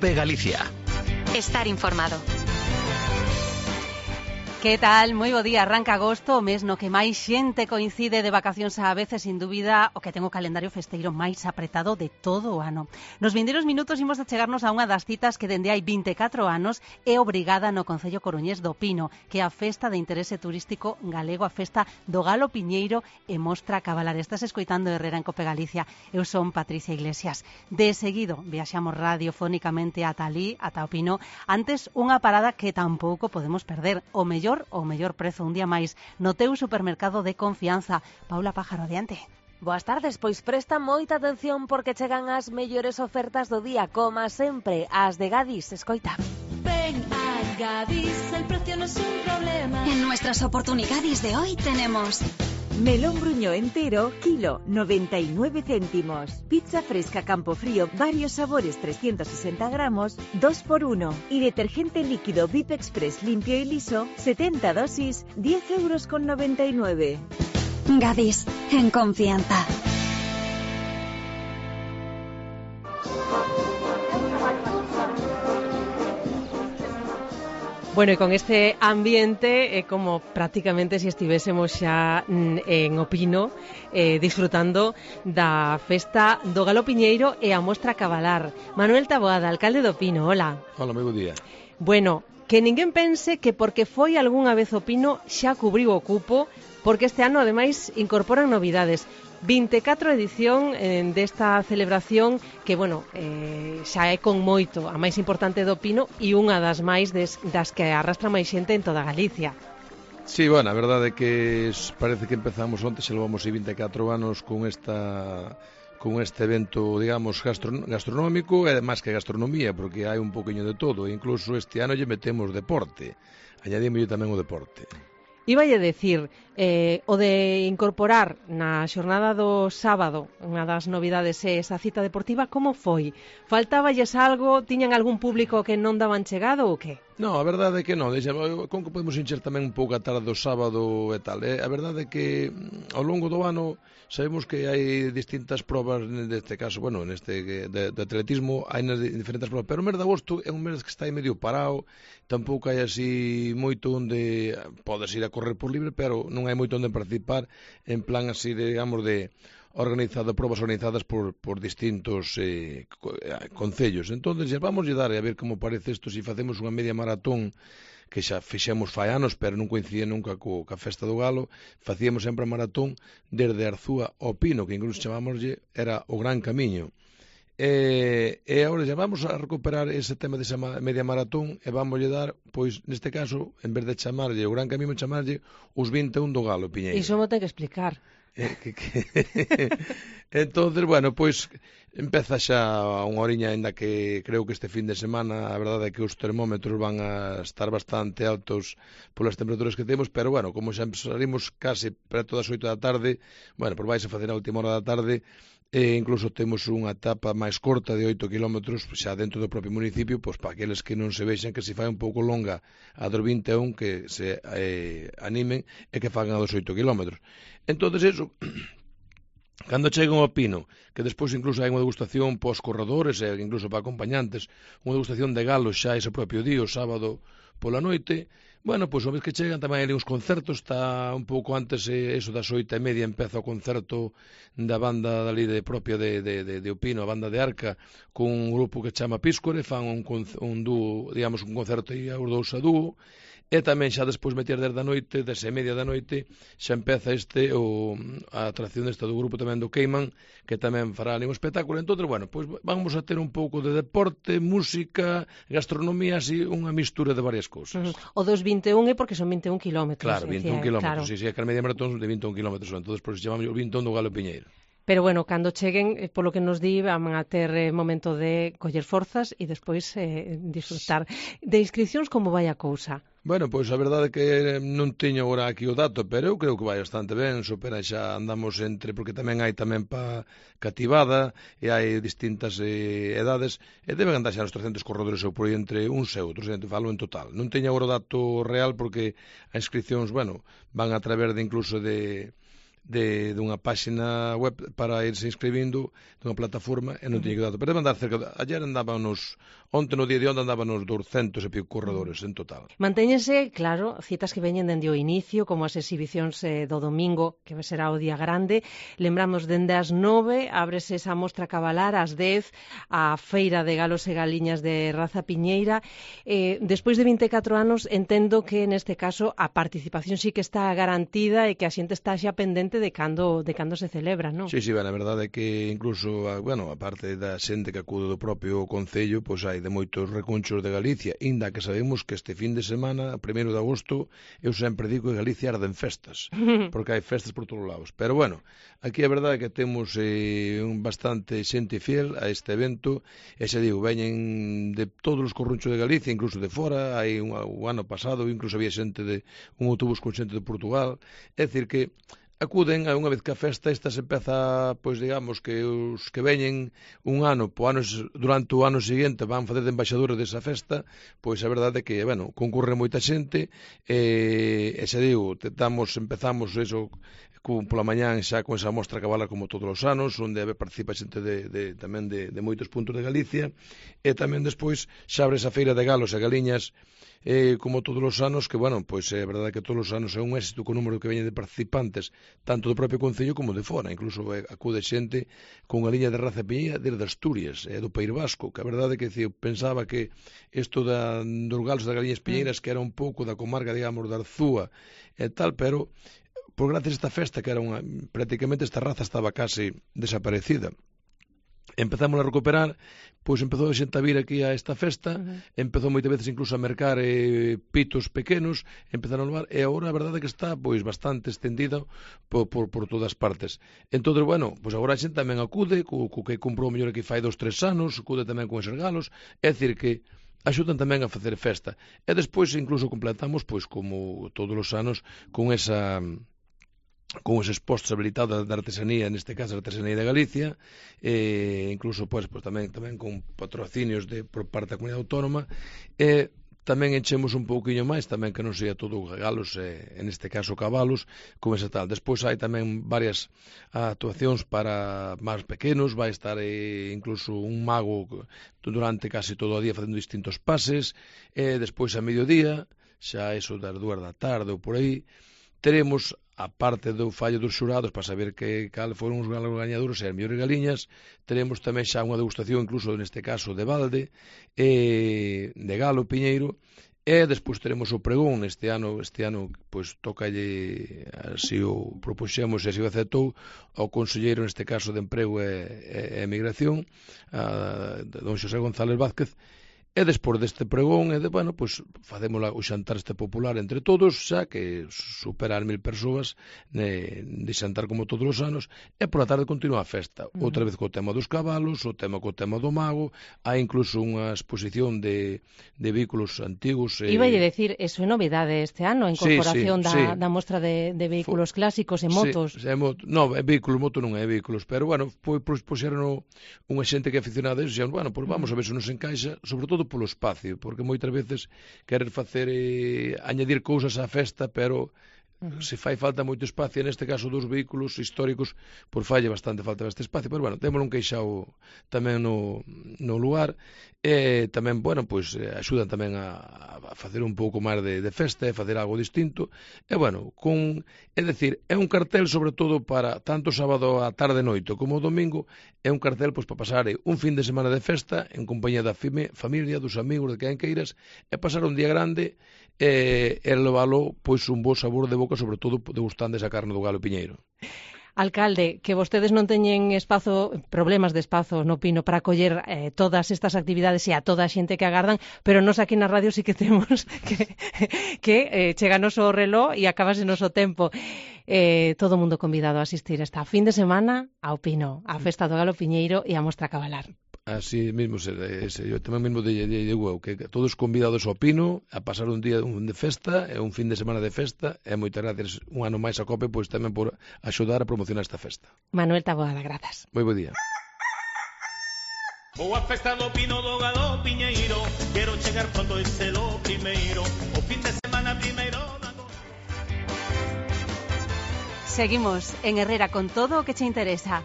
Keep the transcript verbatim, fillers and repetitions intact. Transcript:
COPE Galicia. Estar informado. Que tal? Moi bo día. Arranca agosto, o mes no que máis xente coincide de vacacións a veces, sin dúbida, o que ten o calendario festeiro máis apretado de todo o ano. Nos vindeiros minutos imos a chegarnos a unha das citas que dende hai vinte e catro anos é obrigada no Concello coruñés do Pino, que é a festa de interese turístico galego, a festa do Galo Piñeiro e Mostra Cabalar. Estás escoitando Herrera en Cope Galicia. Eu son Patricia Iglesias. De seguido, viaxamos radiofónicamente ata alí, ata o Pino. Antes, unha parada que tampouco podemos perder. O mellor o mellor prezo un día máis no teu supermercado de confianza. Paula Pájaro, adiante. Boas tardes, pois presta moita atención porque chegan as mellores ofertas do día, como sempre, as de Gadis. Escoita. Ven a Gadis, el precio no es un problema. En nuestras oportunidades de hoy tenemos melón bruño entero, kilo, noventa y nueve céntimos. Pizza fresca Campofrío, varios sabores, trescientos sesenta gramos, dos por uno. Y detergente líquido V I P Express limpio y liso, setenta dosis, diez euros con noventa y nueve. Gadis, en confianza. Bueno, e con este ambiente é eh, como prácticamente se si estivésemos xa en O Pino eh, disfrutando da festa do Galo Piñeiro e a Mostra Cabalar. Manuel Taboada, alcalde do Pino, hola. Hola, moi bo día. Bueno, que ninguén pense que porque foi algunha vez o Pino xa cubriu o cupo, porque este ano ademais incorporan novidades. vinte e catro edición eh, desta celebración que, bueno, eh, xa é con moito a máis importante do Pino e unha das máis des, das que arrastra máis xente en toda Galicia. Sí, bueno, a verdade é que parece que empezamos onte, xa levamos vinte e catro anos con esta con este evento, digamos, gastron gastronómico e máis que gastronomía, porque hai un poquinho de todo, e incluso este ano lle metemos deporte, añadimos tamén o deporte. Iballe decir, eh, o de incorporar na xornada do sábado unha das novidades é esa cita deportiva, como foi? Faltáballes algo? Tiñan algún público que non daban chegado ou que? No, a verdade é que non, deixa, con que podemos encher tamén un pouco a tarde do sábado e tal, eh? A verdade é que ao longo do ano sabemos que hai distintas probas, neste caso, bueno, neste de, de atletismo hai nas diferentes probas, pero o mes de agosto é un mes que está aí medio parado, tampouco hai así moito onde podes ir a correr por libre, pero non hai moito onde participar en plan así, digamos, de organizado, probas organizadas por, por distintos eh, concellos. Entonces, vamos a dar a ver como parece isto, se si facemos unha media maratón, que xa fixemos fai anos, pero non coincidía nunca co, ca festa do Galo, facíamos sempre a maratón desde Arzúa ao Pino, que incluso chamámoslle, era o Gran Camiño. E, e agora xa vamos a recuperar ese tema desa media maratón e vamos a dar, pois, neste caso, en vez de chamarlle o Gran Camiño, chamarlle os vinte e un do Galo Piñeiro. Iso mo ten que explicar. Eh, que, que... Entonces, bueno, pois empeza xa unha horiña, ainda que creo que este fin de semana a verdade é que os termómetros van a estar bastante altos polas temperaturas que temos, pero bueno, como xa salimos case preto das oito da tarde, bueno, pois vais a facer a última hora da tarde, e incluso temos unha etapa máis corta de oito kilómetros xa dentro do propio municipio, pois para aqueles que non se vexan que se fai un pouco longa a dos vinte e un, que se eh, animen e que fagan a dos oito kilómetros. Entonces eso, cando cheguen ao Pino, que despois incluso hai unha degustación pos corredores e incluso para acompañantes, unha degustación de galos xa ese propio día, o sábado pola noite, bueno, pois unha vez que chegan tamén hai uns concertos, está un pouco antes, eh, eso das oito e media empeza o concerto da banda dali de propia de, de, de, de Opino, a banda de Arca, con un grupo que chama Píscore, fan un, un dúo, digamos, un concerto e os dous a dúo, e tamén xa despois meter desde a noite, desde a media da noite, xa empeza este o, a atracción desta do grupo tamén do Queiman, que tamén fará ali un espectáculo. Entón, bueno, pois vamos a ter un pouco de deporte, música, gastronomía, así, unha mistura de varias cousas. Uh-huh. O dos vinte e un é porque son vinte e un kilómetros. Claro, vinte e un kilómetros, claro. sí, sí, é que a media maratón de vinte e un kilómetros, entón, por eso chamamos o vinte e un do Galo Piñeiro. Pero bueno, cando cheguen, eh, polo que nos di, van a ter eh, momento de coller forzas e despois eh, disfrutar. De inscripcións, como vai a cousa? Bueno, pois a verdade é que non teño agora aquí o dato, pero eu creo que vai bastante ben, supera xa andamos entre, porque tamén hai tamén pa cativada e hai distintas eh, edades, e deben andar xa nos trescentos corredores ou por aí entre uns e outros, entre falo en total. Non teño agora o dato real porque as inscripcións, bueno, van a través de incluso de de dunha páxina web para irse inscribindo dunha plataforma e non tiña que dar. Pero deben andar cerca, de, ayer andábamos, onte no día de onte andábamos douscentos e pico corredores en total. Mantéñense, claro, citas que veñen dende o inicio, como as exhibicións eh, do domingo, que será o día grande. Lembramos, dende as nove, ábrese esa mostra cabalar, ás dez, a feira de galos e galiñas de raza piñeira. Eh, despois de vinte e catro anos, entendo que neste caso a participación sí que está garantida e que a xente está xa pendente de cando, de cando se celebra, non? Sí, sí, ben, a verdade é que incluso, bueno, a parte da xente que acude do propio Concello, pois hai de moitos recunchos de Galicia, inda que sabemos que este fin de semana, a primeiro de agosto, eu sempre digo que Galicia arden festas, porque hai festas por todos lados. Pero, bueno, aquí a verdade é que temos eh, un bastante xente fiel a este evento, e xa digo, veñen de todos os corrunchos de Galicia, incluso de fora, hai un, un ano pasado, incluso había xente de un autobús con xente de Portugal, é dicir que acuden a unha vez que a festa esta se empeza, pois digamos que os que veñen un ano, po ano, durante o ano seguinte van facer de embaixadores desa festa, pois a verdade é que, bueno, concurre moita xente e, e xa digo, tentamos, empezamos eso pola mañán xa con esa mostra cabalar como todos os anos, onde participa xente de, de, tamén de, de moitos puntos de Galicia, e tamén despois xa abre esa feira de galos e galiñas eh, como todos os anos, que, bueno, pois é verdade que todos os anos é un éxito co número que veñen de participantes, tanto do propio Concello como de fora, incluso eh, acude xente con a liña de raza piñeira desde Asturias, eh, do País Vasco, que a verdade é que eu pensaba que isto da, dos galos das galiñas piñeiras que era un pouco da comarca, digamos, da Arzúa e tal, pero por gracias a esta festa, que era unha, prácticamente esta raza estaba case desaparecida, empezamos a recuperar, pois empezou a xente a vir aquí a esta festa, uh-huh. empezou moitas veces incluso a mercar eh, pitos pequenos, empezaron a levar, e agora a verdade é que está pois bastante estendida por, por, por todas partes. Entón, bueno, pois agora a xente tamén acude, co, co que comprou mellor aquí fai dos, tres anos, acude tamén con esos galos, é dicir que axudan tamén a facer festa. E despois incluso completamos, pois como todos os anos, con esa con eses postos habilitados da artesanía, neste caso a artesanía de Galicia, e incluso pois, pois tamén tamén con patrocinios de por parte da comunidade autónoma, e tamén enchemos un pouquiño máis, tamén que non sea todo galos, e, en este caso cabalos, como ese tal. Despois hai tamén varias actuacións para máis pequenos, vai estar eh, incluso un mago durante casi todo o día facendo distintos pases, e despois a mediodía, xa eso das dúas da tarde ou por aí, teremos a parte do fallo dos xurados para saber que cal foron os galos gañadores e as mellores galiñas, teremos tamén xa unha degustación incluso neste caso de balde e de galo piñeiro, e despois teremos o pregón este ano, este ano pois tocalle, así o propuxemos e así o aceptou ao conselleiro neste caso de Emprego e, e, e Migración, a, don Xosé González Vázquez. E despois deste pregón, e de, bueno, pois facemos o xantar este popular entre todos, xa que supera as mil persoas de, de xantar como todos os anos, e pola tarde continúa a festa, uh-huh. outra vez co tema dos cabalos, o tema co tema do mago, hai incluso unha exposición de, de vehículos antigos. E... Iba a decir, eso é novidade este ano, a incorporación sí, sí, da, sí. da mostra de, de vehículos Fo... clásicos e motos. Sí, é moto. No, é vehículos, moto non é vehículos, pero, bueno, pois, pois puxeron unha xente que é aficionada a eso, e, bueno, pois vamos a ver se nos encaixa, sobre todo polo espacio, porque moitas veces querer facer eh, añadir cousas á festa, pero uh-huh. se fai falta moito espacio, neste caso dos vehículos históricos, por falle bastante falta este espacio, pero bueno, temos un queixao tamén no, no lugar, e tamén, bueno, pois axudan tamén a, a facer un pouco máis de, de festa, e facer algo distinto, e bueno, con, é dicir, é un cartel sobre todo para tanto sábado a tarde e noite como o domingo, é un cartel pois para pasar un fin de semana de festa en compañía da fime, familia, dos amigos, de quen queiras, e pasar un día grande e, e levalo pois un bo sabor de boca, sobre todo degustando esa carne do galo piñeiro. Alcalde, que vostedes non teñen espazo, problemas de espazo no Pino para acoller eh, todas estas actividades e a toda a xente que agardan, pero nos aquí na radio sí que temos que, que eh, cheganos o reloj e acabase noso tempo. Eh, todo o mundo convidado a asistir esta fin de semana ao Pino, a Festa do Galo Piñeiro e a Mostra Cabalar. Así mismo, se, se, eu tamén mesmo de, de, de eu, que todos convidados ao Pino a pasar un día un de festa e un fin de semana de festa, e moitas gracias un ano máis a COPE, pois tamén por axudar a promocionar esta festa. Manuel Taboada, grazas. Moi bo día. Boa festa do Pino do Galo Piñeiro, quero chegar pronto e ser o primeiro, o fin de semana primeiro. Seguimos en Herrera con todo o que che interesa.